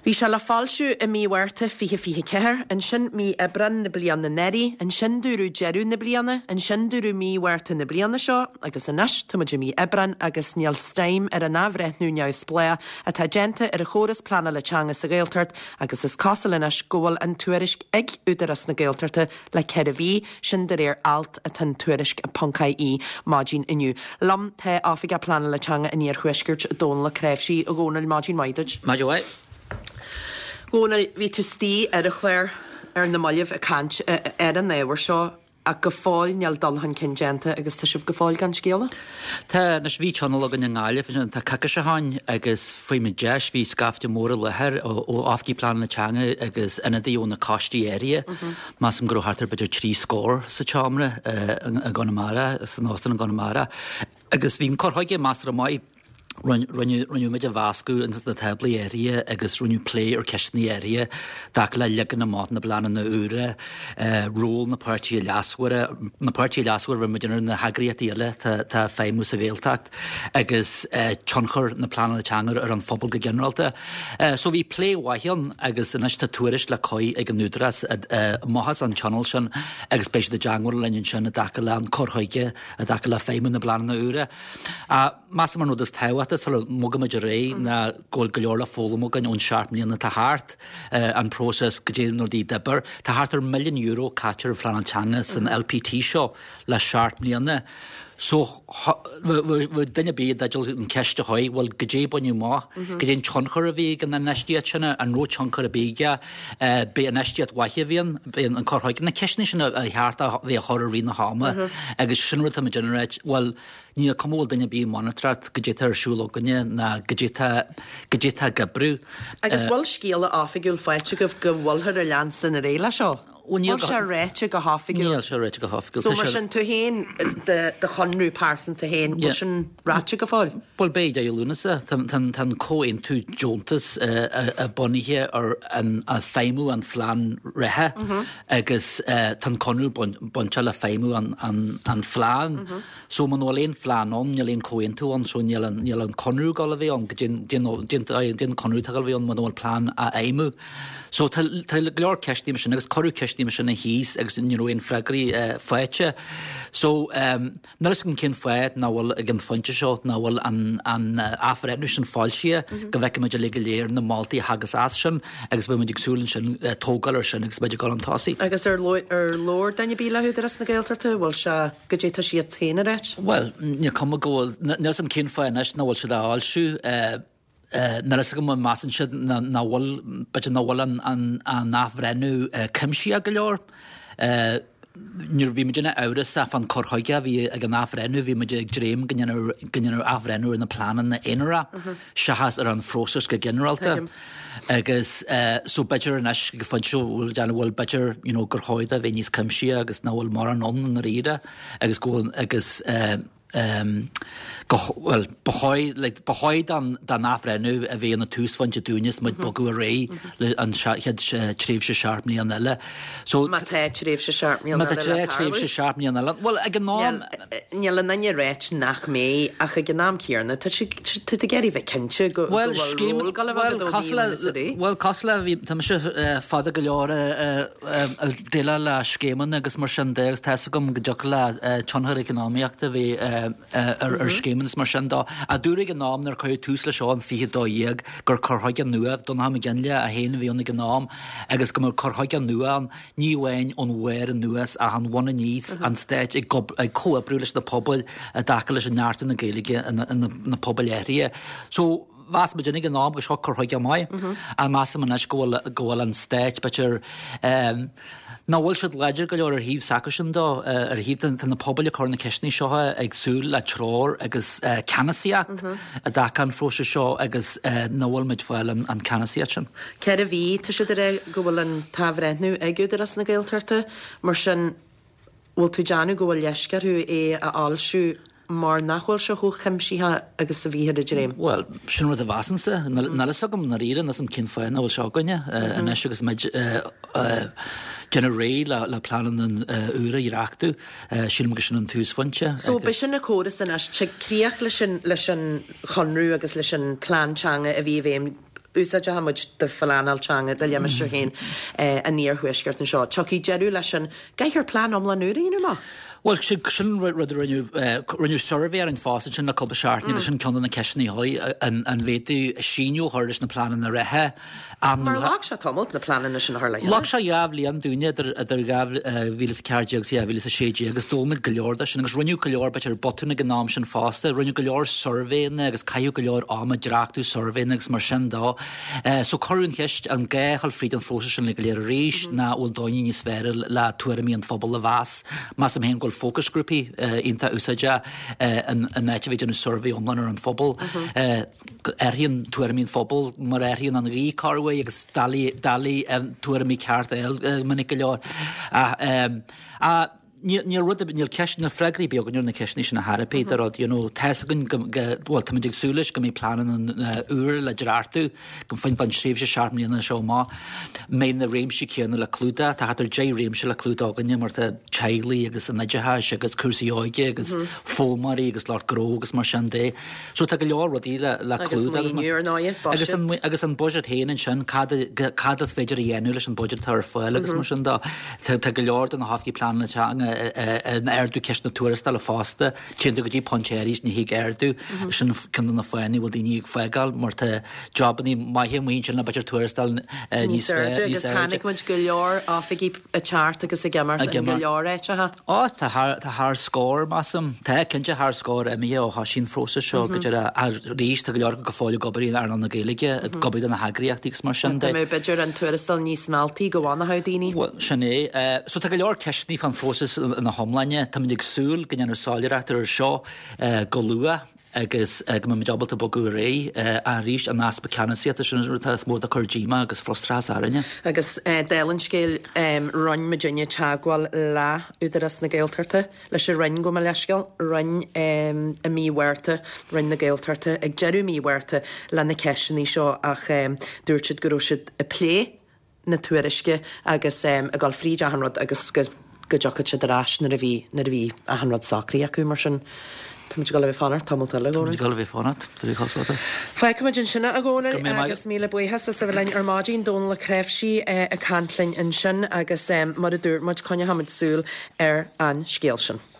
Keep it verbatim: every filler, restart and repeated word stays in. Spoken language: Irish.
Bhí sé le foilsiú i mí Mhárta fiche fiche ceathair, ansin mí Aibreán na bliana anuraidh, ansin dúradh deireadh na bliana, ansin dúradh mí Mhárta na bliana seo agus anois tá muid i mí Aibreán agus níl stime ar an athbhreithniú neamhspleách atá déanta ar an chóras pleanála teanga sa Ghaeltacht agus is cosúil anois go bhfuil an tuairisc ag Údarás na Gaeltachta le ceithre mhí, sin de réir alt atá in Tuairisc ponc ie maidin inniu. Liom tá Oifigeach Pleanála Teanga an Iarthuaiscirt, Dónal Ó Cnáimhsí. A Dhónaill, maidin mhaith duit. Maidin mhaith. Dhónaill, bhí tú istigh ar an chlár ar na mallaibh ag caint ar an ábhar seo ach go fóill níl dul chun cinn déanta agus tá sibh go fóill gan scéala? Tá, anois bhí tionól againn i nGaillimh ansin tá coicís ó shin agus fuair muid deis, bhí scaifte mór i láthair ó oifigigh pleanála teanga agus ionadaí ó na coistí áirithe. Measaim go raibh thart ar b'fhéidir trí scór sa tseomra i gConamara, san óstán i gConamara. Agus bhí an cur chuige measartha maith. Rinne muid a mheascadh ins na táblaí áirithe agus rinneadh plé ar ceisteanna áirithe i dtaca le leagan amach na bpleananna úra, ról na páirtithe leasmhara, na páirtithe leasmhara, bhí muid ar na heagraíochtaí eile atá ag feidhmiú sa Ghaeltacht agus tionchar na pleananna teanga ar an phobal go ginearálta. So bhí plé mhaith ann agus anois tá tuairisc le cur ag an Údarás amach as an tionól sin agus beidh siad i dteagmháil linn ansin i dtaca le an cur chuige i dtaca le feidhmiú na bpleananna úra. Measaim an rud is tábhachtaí sula mbogaimid ar aghaidh ná go bhfuil go leor le foghlaim againn ón seacht mbliana atá thart, an próiseas goidé na rudaí a d'oibir. Tá thart ar milliún euro caite ar phleanáil teanga san LPT seo le seacht mbliana. So bheadh duine ar bith i dteideal an cheist a chur, bhuel goidé a baineadh amach, goidé an tionchar a bhí ag an infheistíocht sin, an raibh tionchar ar bith aige, b'é infheistíocht mhaith a bhí ann, b'é an cur chuige, na ceisteanna sin a cheart a bheith á chur i rith na hama agus sin rud atá muid ag ráit, bhuel, Níl cuma bhfuil duine ar bith ag monatóireacht goidé atá ar siúl againne ná goidé atá goidé atá ag oibriú. Agus bhfuil scéala oifigiúil faighte agaibh go bhfuilthear ag leanstan ar aghaidh leis seo? Bhuel níl Bhfuil sé ráite go hoifigiúil? Níl sé ráite go hoifigiúil. So mar sin tú féin, do chonradh pearsanta féin, bhfuil sin ráite go fóill? Bhuel beidh deireadh Lúnasa. Tá an comhaontú deontais bunaithe ar an feidhmiú an phlean reatha agus tá an conradh bainteach le feidhmiú an phlean. So muna bhfuil aon phlean ann, níl aon chomhaontú ann, so níl an, níl an conradh ag dul a bheith ann, goidé an conradh atá ag dul a bheith ann muna bhfuil plean á fheidhmiú. So tá, tá go leor ceisteanna mar sin agus cuireadh ceisteanna mar sin thíos agus ní raibh aon freagraí faighte. So níl fhios agam cén fáth nach bhfuil ag an phointe seo, nach bhfuil an, an athbhreithniú sin foilsithe, go bhfeicfimid uilig go léir na moltaí a thagas as sin agus bheidh muid ag súil ansin tógáil ar sin agus muid ag dul chun tosaigh. Agus ar labhair duine ar bith le hÚdarás na Gaeltachta, bhfuil sé, goidé tá siad féin a ráit? Bhuel, níl cuma go bhfuil, níl fhios agam cén fáth anois nach bhfuil siad á fhoilsiú. Níl fhios agam an measann siad nach bhfuil, b'fhéidir nach bhfuil an athbhreithniú cuimsitheach go leor. Nuair bhí muidinne amhrasach fán cur chuige a bhí ag an athbhreithniú, bhí muid ag dréim go ndéanfadh athbhreithniú ar na pleananna aonarach seachas ar an phróiseas go ginearálta. Agus so b'fhéidir anois ag an phointe seo bhfuil déanamh bhfuil b'fhéidir you know gur chóir dó a bheith níos cuimsithí agus nach bhfuil mórán ann i ndáiríre agus go bhfuil agus go bhuel ba chóir like ba chóir don don athbhreithniú a bheith ina túsphointe dúinne is muid bogadh ar aghaidh le an chéad tréimhse seacht mbliana eile. So Má tá tréimhse seacht mbliana eile le tarlú. Má tá tréimhse seacht mbliana eile. Bhuel ag an am Níl aon duine ag ráit nach mbeidh ach ag an am céanna tá tú ag iarraidh bheith cinnte go bhfuil ról ag dul a bheith agat ó mhí Lúnasa ar aghaidh. Bhuel cosúil le bhí tá mise fada go leor ag déileáil le scéimeanna agus mar sin de agus tá fhios agam go dtiocfadh le tionchar eacnamaíochta a bheith ar scéimeanna is mar sin de. Ach dúradh ag an am nuair a cuireadh tús leis seo in fiche dó dhéag gur cur chuige nua, Donnchadh Mac Fhionnghaile é féin a bhí ann ag an am, agus go mbeadh cur chuige nua ann, ní amháin ón bharr anuas ach ón bhun aníos, an Stát ag comhoibriú leis na pobail i dtaca leis an neartú na Gaeilge ina pobail áirithe. So, mheas muid ag an am go seo cur chuige maith, ach measaim anois go bhfuil go bhfuil an Stát b'fhéidir nach bhfuil siad láidir go leor ar thaobh s'acusan de, ar thaobh tá na pobail ag cur na ceisteanna seo ag súil le treoir agus ceannasaíocht i dtaca an phróisis seo agus nach bhfuil muid fáil an ceannasaíocht sin. Ceithre mhí, tá siad ag rá go bhfuil an t-athbhreithniú ag Údarás na Gaeltachta, mar sin bhfuil tú ag déanamh go bhfuil leisce orthu é a fhoilsiú mar nach bhfuil sé chomh cuimsitheach agus a bhíthear ag dréim? Bhuel, sin rud a mheasaimse. Níl fhios agam i ndáiríre, níl fhios agam cén fáth nach bhfuil sé againne anois agus muid ag déanamh réidh le pleananna úra a dhreachtú. Sílim gur sin an túsphointe. So b'shin an córas anois, tig críoch leis an leis an chonradh agus leis an plean teanga a bhí i bhfeidhm úsáideach muid de phleanáil teanga do limistéar féin an iarthuaiscirt anseo. Tiocfaidh deireadh leis an gcaithfear plean iomlán úr a dhéanamh amach. Bhuel, sin sin rud a rinneadh rinneadh suirbhé ar an phost sin le cúpla seachtain agus sin ceann de na ceisteanna a chuaigh an an bhféadfaí síneadh a chur leis na pleananna reatha. Mar ghlac sé tamall na pleananna sin a chur le chéile. Ghlac sé dhá bhliain dúinne idir idir dhá mhíle is a ceathair déag agus dhá mhíle is a sé déag agus d'fhoghlaim muid go leor de sin agus rinneadh go leor b'fhéidir botún ag an am sin fosta. Rinneadh go leor suirbhéanna agus caitheadh go leor ama dreachtú suirbhéanna agus mar sin dó. So cuireadh an cheist an gá a dhul fríd an phróiseas sin le go léir arís ná bhfuil dóigh níos fearr le tuairimí an phobail a mheas. Measaim féin go bhfuil fócasghrúpaí iontach úsáideach in áit a bheith ag déanamh suirbhé iomlán ar an phobal. Athraíonn tuairimí an phobail mar a athraíonn an ghaoth corruair agus doiligh tuairimí ceart a fháil minic go leor. Ach níl rud níl ceist na freagraí beag ar na ceisteanna sin a therapy de rud you know tá's againn go bhuel táimid ag súil leis go mbeidh pleananna úr le dreachtú go faoin don tréimhse seacht mbliana seo amach mbeidh na réimsí céanna le clúdach tá thart ar deich réimse le clúdach againne mar tá teaghlaigh agus an oideachais agus cúrsaí óige agus foghlaimeoirí agus lucht gnó agus mar sin de so tá go leor rudaí le le clúdach agus maoiniú ar ndóigh agus an agus an budget féin ansin cad cad is féidir a dhéanamh leis an budget atá ar fáil agus mar sin de tá go leor de na hoifigí pleanála teanga in ardú ceist na tuarascála fosta téann tú go dtí pointe arís ní thig ardú sin ceann de na fáthanna bhfuil daoine ag fágáil mar tá jobanna maithe amuigh ansin le b'fhéidir tuarastal níos airde agus tháinig muid go leor oifigí ag teacht agus ag imeacht in go leor áiteacha. Ó tá tá thar scór measaim tá cinnte thar scór imithe ó thosaigh an phróiseas seo go deireadh arís tá go leor go fóill ag obair in earnáil na Gaeilge ag obair do na heagraíochtaí agus mar sin de. Tá mé b'fhéidir an tuarastal níos mealltaí go bhfanfadh daoine. Well sin é. So tá go leor ceisteanna fán phróiseas ina hiomláine. Táimid ag súil go ndéanfar soiléireacht ar seo go luath agus go mbeimid ábalta bogadh ar aghaidh arís an easpa ceannasaíochta sin rud is mó atá ag cur díomá agus frustrachas orainne. Agus dála an scéil rinne muidinne teagmháil le Údarás na Gaeltachta leis an Roinn gabh mo leithscéal, Roinn i mí Mhárta, Roinn na Gaeltachta ag deireadh mí Mhárta le na ceisteanna seo ach dúirt siad go raibh siad ag plé na tuairisce agus ag dul fríd achan rud agus go go dtiocfadh siad ar ais nuair a bhí nuair a bhí achan rud socraithe acu mar sin táimid ag dul a bheith ag fanacht tamall eile, a Dhónaill. Táimid ag dul a bheith ag fanacht, tá mé cosúil. Fágfaimid ansin é, a Dhónaill, agus míle buíochas as a bheith linn ar maidin, Dónal Ó Cnáimhsí ag caint linn ansin agus mar a dúirt muid, coinneochaimid súil ar an scéal sin.